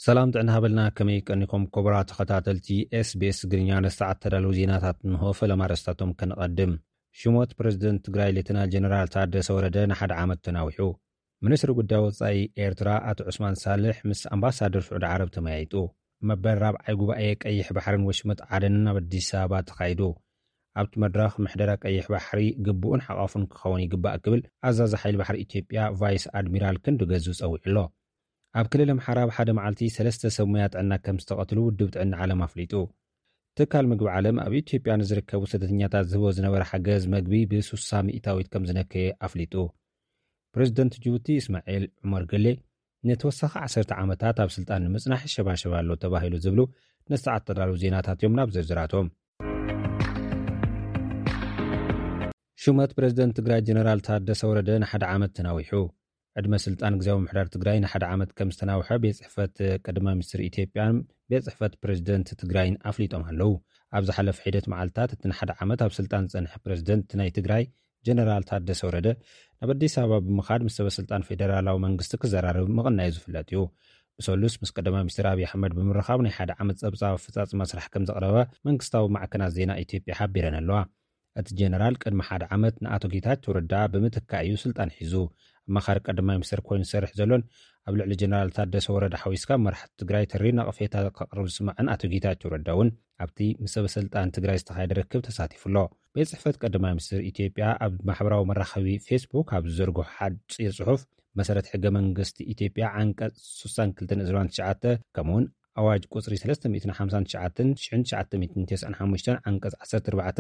ሰላም ጥዕና ሃበልና፣ ከመይ ቀኒኩም ክቡራት ተኸታተልቲ ኤስቢኤስ ትግርኛ? ንሰዓት ተዳለዉ ዜናታት እንሆ። ፈለማ ኣርእስታቶም ከነቐድም። ሽሞት ፕረዚደንት ትግራይ ሌተናል ጀነራል ታደሰ ወረደ ንሓደ ዓመት ተናዊሑ። ሚኒስትሪ ጉዳይ ወጻኢ ኤርትራ ኣቶ ዑስማን ሳልሕ ምስ ኣምባሳደር ስዑዲ ዓረብ ተመያይጡ። መበል ራብዓይ ጉባኤ ቀይሕ ባሕርን ወሽመጥ ዓደንን ኣብ ኣዲስ ኣበባ ተኻይዱ። ኣብቲ መድረኽ ምሕደራ ቀይሕ ባሕሪ ግቡእን ሓቋፉን ክኸውን ይግባእ ክብል ኣዛዚ ሓይሊ ባሕሪ ኢትዮጵያ ቫይስ ኣድሚራል ክንዱ ገዙ ጸዊዑ ኣሎ። ኣብ ክልል ኣምሓራ ኣብ ሓደ መዓልቲ ሰለስተ ሰብ ሙያ ጥዕና ከም ዝተቐትሉ ውድብ ጥዕና ዓለም ኣፍሊጡ። ትካል ምግቢ ዓለም ኣብ ኢትዮጵያ ንዝርከቡ ስደተኛታት ዝህቦ ዝነበረ ሓገዝ መግቢ ብ60% ከም ዝነከየ ኣፍሊጡ። ፕረዚደንት ጅቡቲ እስማኤል ዑመር ገሌ ንተወሳኺ ዓሰርተ ዓመታት ኣብ ስልጣን ንምጽናሕ ይሸባሸብ ኣሎ ተባሂሉ ዝብሉ ንሰዓት ተዳለዉ ዜናታት እዮም። ናብ ዝርዝራቶም። ሹመት ፕረዚደንት ትግራይ ጀነራል ታደሰ ወረደ ንሓደ ዓመት ተናዊሑ። ዕድመ ስልጣን ግዝያዊ ምሕዳር ትግራይ ንሓደ ዓመት ከም ዝተናውሐ ቤት ጽሕፈት ቀዳማይ ሚኒስትር ኢትዮጵያን ቤት ጽሕፈት ፕረዚደንት ትግራይን ኣፍሊጦም ኣለዉ። ኣብ ዝሓለፈ ሒደት መዓልታት እቲ ንሓደ ዓመት ኣብ ስልጣን ዝጸንሐ ፕረዚደንት ናይ ትግራይ ጀነራል ታደሰ ወረደ ናብ ኣዲስ ኣበባ ብምኻድ ምስ ሰበ ስልጣን ፌደራላዊ መንግስቲ ክዘራረብ ምቕናዩ ዝፍለጥ እዩ። ብሰሉስ ምስ ቀዳማይ ሚኒስትር ኣብይ ኣሕመድ ብምርኻብ ናይ ሓደ ዓመት ጸብጻብ ኣፈጻጽማ ስራሕ ከም ዘቕረበ መንግስታዊ ማዕከናት ዜና ኢትዮጵያ ሓቢረን ኣለዋ። እቲ ጀነራል ቅድሚ ሓደ ዓመት ንኣቶ ጌታቸው ረዳ ብምትካእ እዩ ስልጣን ሒዙ። ኣማኻሪ ቀዳማይ ሚኒስትር ኮይኑ ዝሰርሕ ዘሎን ኣብ ልዕሊ ጀነራል ታደሰ ወረደ ሓዊስካ መራሕቲ ትግራይ ተሪር ነቐፌታ ከቕርብ ዝስማዕን ኣቶ ጌታቸው ረዳ እውን ኣብቲ ምስ ሰበ ስልጣን ትግራይ ዝተኻየደ ርክብ ተሳቲፉ ኣሎ። ቤት ጽሕፈት ቀዳማይ ሚኒስትር ኢትዮጵያ ኣብ ማሕበራዊ መራኸቢ ፌስቡክ ኣብ ዝዘርግሖ ሓጺር ጽሑፍ፣ መሰረት ሕገ መንግስቲ ኢትዮጵያ ዓንቀጽ ስሳን ክልተን እዝባን ትሽዓተ፣ ከምኡውን ኣዋጅ ቁጽሪ ሰለስተ ሚእትን ሓምሳን ትሽዓተን ሽሕን ትሽዓተ ሚእትን ተስዓን ሓሙሽተን ዓንቀጽ ዓሰርተ ኣርባዕተ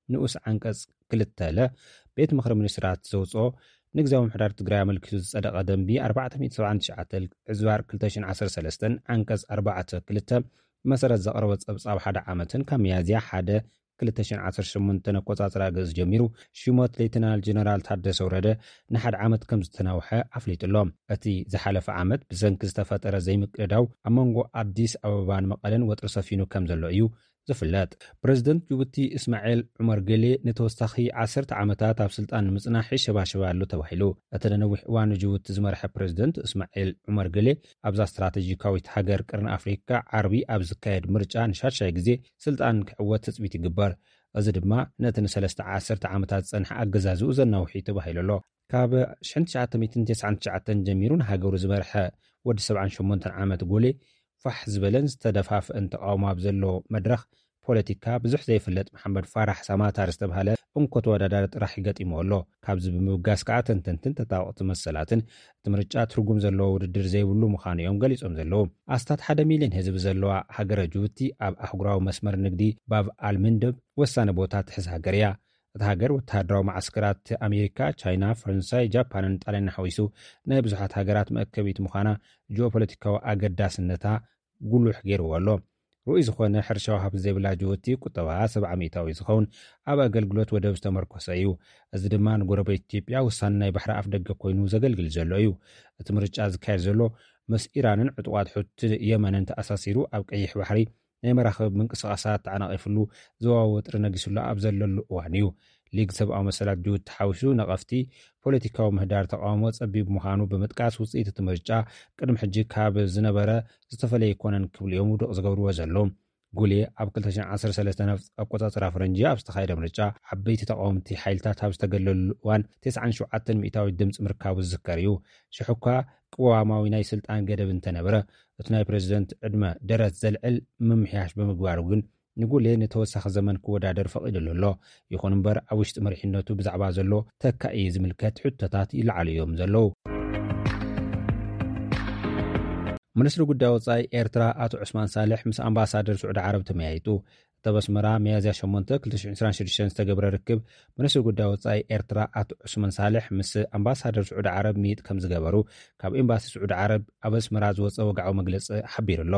ንኡስ ዓንቀጽ ክልተ ለ ቤት ምኽሪ ሚኒስትራት ዘውጽኦ ንግዝያዊ ምሕዳር ትግራይ ኣመልኪቱ ዝጸደቐ ደንቢ ኣርባዕተ ሚእቲ ሰብዓን ትሽዓተን ዕዝባር ክልተ ሽሕን ዓሰርተ ሰለስተን ዓንቀጽ ኣርባዕተ ክልተ መሰረት ዘቕረቦ ጸብጻብ ሓደ ዓመትን ካብ ሚያዝያ ሓደ ክልተ ሽሕን ዓሰርተ ሸሞንተን ኣቆጻጽራ ገጽ ጀሚሩ ሽሞት ሌተናል ጀነራል ታደሰ ወረደ ንሓደ ዓመት ከም ዝተናውሐ ኣፍሊጡ ኣሎ። እቲ ዝሓለፈ ዓመት ብሰንኪ ዝተፈጠረ ዘይምቅድዳው ኣብ መንጎ ኣዲስ ኣበባን መቐለን ወጥሪ ሰፊኑ ከም ዘሎ እዩ ዝፍለጥ። ፕረዚደንት ጅቡቲ እስማኤል ዑመር ገሌ ንተወሳኺ ዓሰርተ ዓመታት ኣብ ስልጣን ንምጽናሕ ይሸባሸብ ኣሎ ተባሂሉ። እቲ ንነዊሕ እዋን ንጅቡቲ ዝመርሐ ፕረዚደንት እስማኤል ዑመር ገሌ ኣብዛ ስትራቴጂካዊት ሃገር ቀርኒ ኣፍሪካ ዓርቢ ኣብ ዝካየድ ምርጫ ንሻድሻይ ግዜ ስልጣን ክዕወት ትጽቢት ይግበር። እዚ ድማ ነቲ ንሰለስተ ዓሰርተ ዓመታት ዝጸንሐ ኣገዛዝኡ ዘናውሕ እዩ ተባሂሉ ኣሎ። ካብ ሽሕን ትሽዓተ ሚእትን ተስዓን ትሽዓተን ጀሚሩ ንሃገሩ ዝመርሐ ወዲ ሰብዓን ሸሞንተን ዓመት ጎሌ ፋሕ ዝበለን ዝተደፋፍአን ተቃውሞ ኣብ ዘሎ መድረኽ ፖለቲካ ብዙሕ ዘይፍለጥ መሓመድ ፋራሕ ሳማታር ዝተባሃለ እንኮ ተወዳዳሪ ጥራሕ ይገጢሞ ኣሎ። ካብዚ ብምብጋስ ከዓ ተንተንትን ተጣወቕቲ መሰላትን እቲ ምርጫ ትርጉም ዘለዎ ውድድር ዘይብሉ ምዃኑ እዮም ገሊጾም ዘለዉ። ኣስታት ሓደ ሚልዮን ህዝቢ ዘለዋ ሃገረ ጅቡቲ ኣብ ኣህጉራዊ መስመር ንግዲ ባብ ኣልምንደብ ወሳኒ ቦታ ትሕዝ ሃገር እያ። እታ ሃገር ወተሃደራዊ መዓስከራት ኣሜሪካ፣ ቻይና፣ ፈረንሳይ፣ ጃፓንን ጣልያንን ሓዊሱ ናይ ብዙሓት ሃገራት መእከቢት ምዃና ጂኦፖለቲካዊ ኣገዳስነታ ጉሉሕ ገይርዎ ኣሎ። ርኡይ ዝኾነ ሕርሻዊ ሃብቲ ዘይብላ ጅቡቲ ቁጠባ ሰብዓ ሚእታዊ ዝኸውን ኣብ ኣገልግሎት ወደብ ዝተመርኮሰ እዩ። እዚ ድማ ንጎረቤት ኢትዮጵያ ውሳነ ናይ ባሕሪ ኣፍ ደገ ኮይኑ ዘገልግል ዘሎ እዩ። እቲ ምርጫ ዝካየድ ዘሎ ምስ ኢራንን ዕጡቓት ሑቲ የመንን ተኣሳሲሩ ኣብ ቀይሕ ባሕሪ ናይ መራኽብ ምንቅስቓሳት ተዓናቒፍሉ ዞባ ወጥሪ ነጊስሉ ኣብ ዘለሉ እዋን እዩ። ሊግ ሰብኣዊ መሰላት ጅቡቲ ሓዊሱ ነቐፍቲ ፖለቲካዊ ምህዳር ተቃውሞ ጸቢብ ምዃኑ ብምጥቃስ ውጽኢት እቲ ምርጫ ቅድሚ ሕጂ ካብ ዝነበረ ዝተፈለየ ኣይኮነን ክብሉ እዮም ውዱቕ ዝገብርዎ ዘለዉ። ጉሌ ኣብ ክልተ ሽሕን ዓሰርተ ሰለስተን ኣቆጻጽራ ፈረንጂ ኣብ ዝተኻየደ ምርጫ ዓበይቲ ተቃወምቲ ሓይልታት ኣብ ዝተገለሉ እዋን ተስዓን ሸውዓተን ሚእታዊት ድምፂ ምርካቡ ዝዝከር እዩ። ሽሕ እኳ ቅዋማዊ ናይ ስልጣን ገደብ እንተነበረ እቲ ናይ ፕረዚደንት ዕድመ ደረት ዘልዕል ምምሕያሽ ብምግባሩ ግን ንጉሌ ንተወሳኺ ዘመን ክወዳደር ፈቒድሉ ኣሎ። ይኹን እምበር ኣብ ውሽጢ መሪሕነቱ ብዛዕባ ዘሎ ተካኢ ዝምልከት ሕቶታት ይለዓሉ እዮም ዘለዉ። ሚኒስትሪ ጉዳይ ወጻኢ ኤርትራ ኣቶ ዑስማን ሳልሕ ምስ ኣምባሳደር ስዑዲ ዓረብ ተመያይጡ። እቲ ኣብ ኣስመራ ሚያዝያ ሸሞንተ ክልተ ሽሕን ዕስራን ሽዱሽተን ዝተገብረ ርክብ፣ ሚኒስትሪ ጉዳይ ወጻኢ ኤርትራ ኣቶ ዑስማን ሳልሕ ምስ ኣምባሳደር ስዑዲ ዓረብ ምይጥ ከም ዝገበሩ ካብ ኤምባሲ ስዑዲ ዓረብ ኣብ ኣስመራ ዝወጸ ወግዓዊ መግለጺ ሓቢሩ ኣሎ።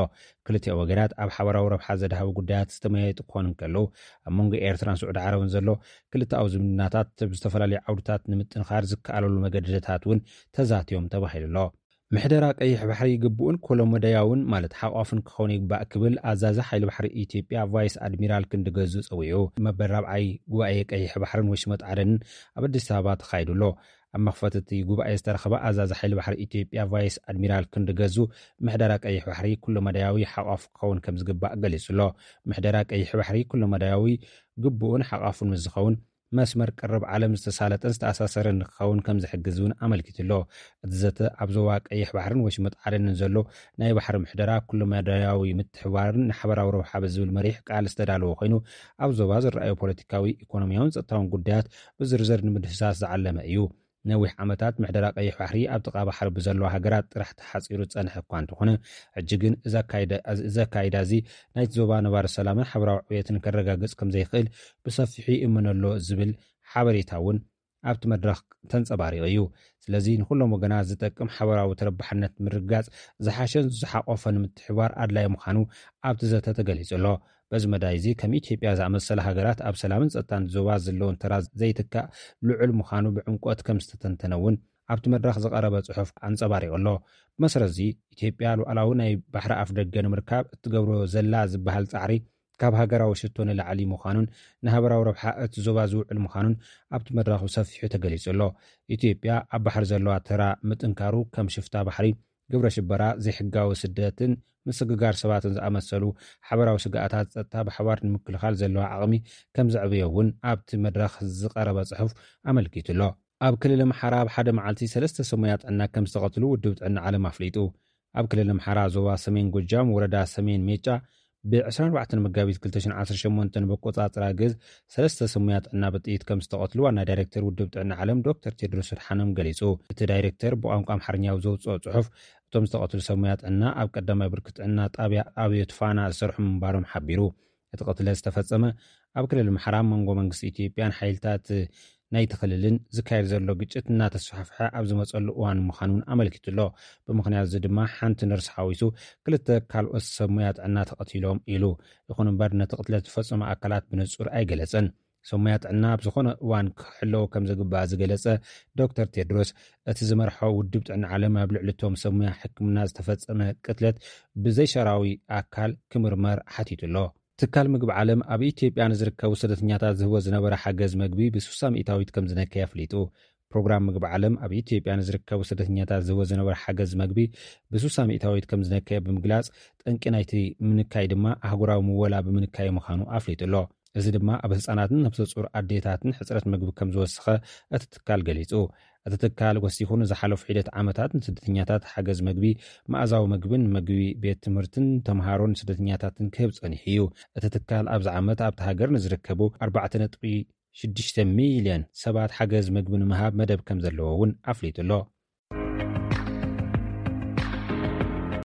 ክልቲኦም ወገናት ኣብ ሓባራዊ ረብሓ ዘድሃቡ ጉዳያት ዝተመያየጡ ክኾኑ እንከለዉ፣ ኣብ መንጎ ኤርትራን ስዑዲ ዓረብን ዘሎ ክልተኣዊ ዝምድናታት ኣብ ዝተፈላለዩ ዓውድታት ንምጥንኻር ዝከኣለሉ መገድታት እውን ተዛትዮም ተባሂሉ ኣሎ። ምሕደራ ቀይሕ ባሕሪ ግቡእን ኮሎመዳያውን ማለት ሓቋፍን ክኸውን ይግባእ ክብል ኣዛዚ ሓይሊ ባሕሪ ኢትዮጵያ ቫይስ ኣድሚራል ክንዲ ገዙ ጸዊዑ። መበል ራብዓይ ጉባኤ ቀይሕ ባሕርን ወሽመጥ ዓደንን ኣብ ኣዲስ ኣበባ ተኻይዱ ኣሎ። ኣብ መኽፈቲ እቲ ጉባኤ ዝተረኸበ ኣዛዚ ሓይሊ ባሕሪ ኢትዮጵያ ቫይስ ኣድሚራል ክንዲ ገዙ፣ ምሕደራ ቀይሕ ባሕሪ ኩለመዳያዊ ሓቋፍ ክኸውን ከም ዝግባእ ገሊጹ ኣሎ። ምሕደራ ቀይሕ ባሕሪ ኩለመዳያዊ ግቡእን ሓቋፉን ምስ ዝኸውን፣ መስመር ቅርብ ዓለም ዝተሳለጠን ዝተኣሳሰረን ንክኸውን ከም ዝሕግዝ እውን ኣመልኪቱ ኣሎ። እቲ ዘተ ኣብ ዞባ ቀይሕ ባሕርን ወሽመጥ ዓደንን ዘሎ ናይ ባሕሪ ምሕደራ ኩለመዳያዊ ምትሕባርን ንሓበራዊ ረብሓ ብዝብል መሪሕ ቃል ዝተዳለወ ኮይኑ፣ ኣብ ዞባ ዝረኣዩ ፖለቲካዊ፣ ኢኮኖሚያውን ጸጥታውን ጉዳያት ብዝርዝር ንምድህሳስ ዝዓለመ እዩ። ነዊሕ ዓመታት ምሕደራ ቀይሕ ባሕሪ ኣብ ጥቓ ባሕሪ ብዘለዋ ሃገራት ጥራሕ ተሓጺሩ ዝጸንሐ እኳ እንተኾነ፣ ሕጂ ግን እዚ ኣካይዳ እዚ ናይቲ ዞባ ነባሪ ሰላምን ሓበራዊ ዕብየትን ከረጋግጽ ከም ዘይኽእል ብሰፊሑ ይእመነሎ ዝብል ሓበሬታ እውን ኣብቲ መድረኽ ተንጸባሪቑ እዩ። ስለዚ ንኹሎም ወገናት ዝጠቅም ሓበራዊ ተረባሕነት ምርግጋጽ ዝሓሸን ዝሓቆፈን ምትሕባር ኣድላይ ምዃኑ ኣብቲ ዘተ ተገሊጹ ኣሎ። በዚ መዳይ እዚ ከም ኢትዮጵያ ዝኣመሰላ ሃገራት ኣብ ሰላምን ጸጥታን ዞባ ዘለውን ተራ ዘይትካእ ልዑል ምዃኑ ብዕምቆት ከም ዝተተንተነ እውን ኣብቲ መድረኽ ዝቐረበ ጽሑፍ ኣንጸባሪቑ ኣሎ። ብመሰረት እዚ ኢትዮጵያ ሉዓላዊ ናይ ባሕሪ ኣፍ ደገ ንምርካብ እትገብሮ ዘላ ዝበሃል ጻዕሪ ካብ ሃገራዊ ሽቶ ንላዕሊ ምዃኑን ንሃበራዊ ረብሓ እቲ ዞባ ዝውዕል ምዃኑን ኣብቲ መድረኽ ብሰፊሑ ተገሊጹ ኣሎ። ኢትዮጵያ ኣብ ባሕሪ ዘለዋ ተራ ምጥንካሩ ከም ሽፍታ ባሕሪ፣ ግብረ ሽበራ፣ ዘይሕጋዊ ስደትን ምስግጋር ሰባትን ዝኣመሰሉ ሓበራዊ ስግኣታት ጸጥታ ብሓባር ንምክልኻል ዘለዋ ዓቕሚ ከም ዘዕበዮ እውን ኣብቲ መድረኽ ዝቐረበ ጽሑፍ ኣመልኪቱ ኣሎ። ኣብ ክልል ኣምሓራ ኣብ ሓደ መዓልቲ ሰለስተ ሰብ ሞያ ጥዕና ከም ዝተቐትሉ ውድብ ጥዕና ዓለም ኣፍሊጡ። ኣብ ክልል ኣምሓራ ዞባ ሰሜን ጎጃም ወረዳ ሰሜን ሜጫ ብ ዕስራን ኣርባዕተን መጋቢት ክልተ ሽሕን ዓሰርተ ሸሞንተን ብኣቆጻጽራ ግዝ ሰለስተ ሰብ ሞያ ጥዕና ብጥይት ከም ዝተቐትሉ ዋና ዳይሬክተር ውድብ ጥዕና ዓለም ዶክተር ቴድሮስ ኣድሓኖም ገሊጹ። እቲ ዳይሬክተር ብቋንቋ ኣምሓርኛ ኣብ ዘውጽኦ ጽሑፍ፣ እቶም ዝተቐትሉ ሰብ ሞያ ጥዕና ኣብ ቀዳማይ ብርኪ ጥዕና ጣብያ ኣብዮት ፋና ዝሰርሑ ምንባሮም ሓቢሩ። እቲ ቅትለት ዝተፈጸመ ኣብ ክልል ኣምሓራ መንጎ መንግስቲ ኢትዮጵያን ሓይልታት ናይቲ ክልልን ዝካየድ ዘሎ ግጭት እናተስፋሕፍሐ ኣብ ዝመጸሉ እዋን ምዃኑ እውን ኣመልኪቱ ኣሎ። ብምኽንያት እዚ ድማ ሓንቲ ነርስ ሓዊሱ ክልተ ካልኦት ሰብ ሞያ ጥዕና ተቐቲሎም ኢሉ። ይኹን እምበር ነቲ ቅትለት ዝፈጸሙ ኣካላት ብንጹር ኣይገለጸን። ሰብ ሞያ ጥዕና ኣብ ዝኾነ እዋን ክሕለዉ ከም ዝግባእ ዝገለጸ ዶክተር ቴድሮስ፣ እቲ ዝመርሖ ውድብ ጥዕና ዓለም ኣብ ልዕሊ እቶም ሰብ ሞያ ሕክምና ዝተፈጸመ ቅትለት ብዘይሸራዊ ኣካል ክምርመር ሓቲቱ ኣሎ። ትካል ምግቢ ዓለም ኣብ ኢትዮጵያ ንዝርከቡ ስደተኛታት ዝህቦ ዝነበረ ሓገዝ መግቢ ብ60% ከም ዝነከየ ኣፍሊጡ። ፕሮግራም ምግቢ ዓለም ኣብ ኢትዮጵያ ንዝርከቡ ስደተኛታት ዝህቦ ዝነበረ ሓገዝ መግቢ ብ60% ከም ዝነከየ ብምግላጽ፣ ጠንቂ ናይቲ ምንካይ ድማ ኣህጉራዊ ምወላ ብምንካይ ምዃኑ ኣፍሊጡ ኣሎ። እዚ ድማ ኣብ ህጻናትን ነብሰ ጹር ኣዴታትን ሕጽረት መግቢ ከም ዝወሰኸ እቲ ትካል ገሊጹ። እቲ ትካል ወሲኹ፣ ንዝሓለፉ ሒደት ዓመታት ንስደተኛታት ሓገዝ መግቢ፣ መኣዛዊ መግብን መግቢ ቤት ትምህርትን ተምሃሮን ስደተኛታትን ክህብ ጸኒሑ እዩ። እቲ ትካል ኣብዚ ዓመት ኣብቲ ሃገር ንዝርከቡ ኣርባዕተ ነጥቢ ሽዱሽተ ሚልዮን ሰባት ሓገዝ መግቢ ንምሃብ መደብ ከም ዘለዎ እውን ኣፍሊጡ ኣሎ።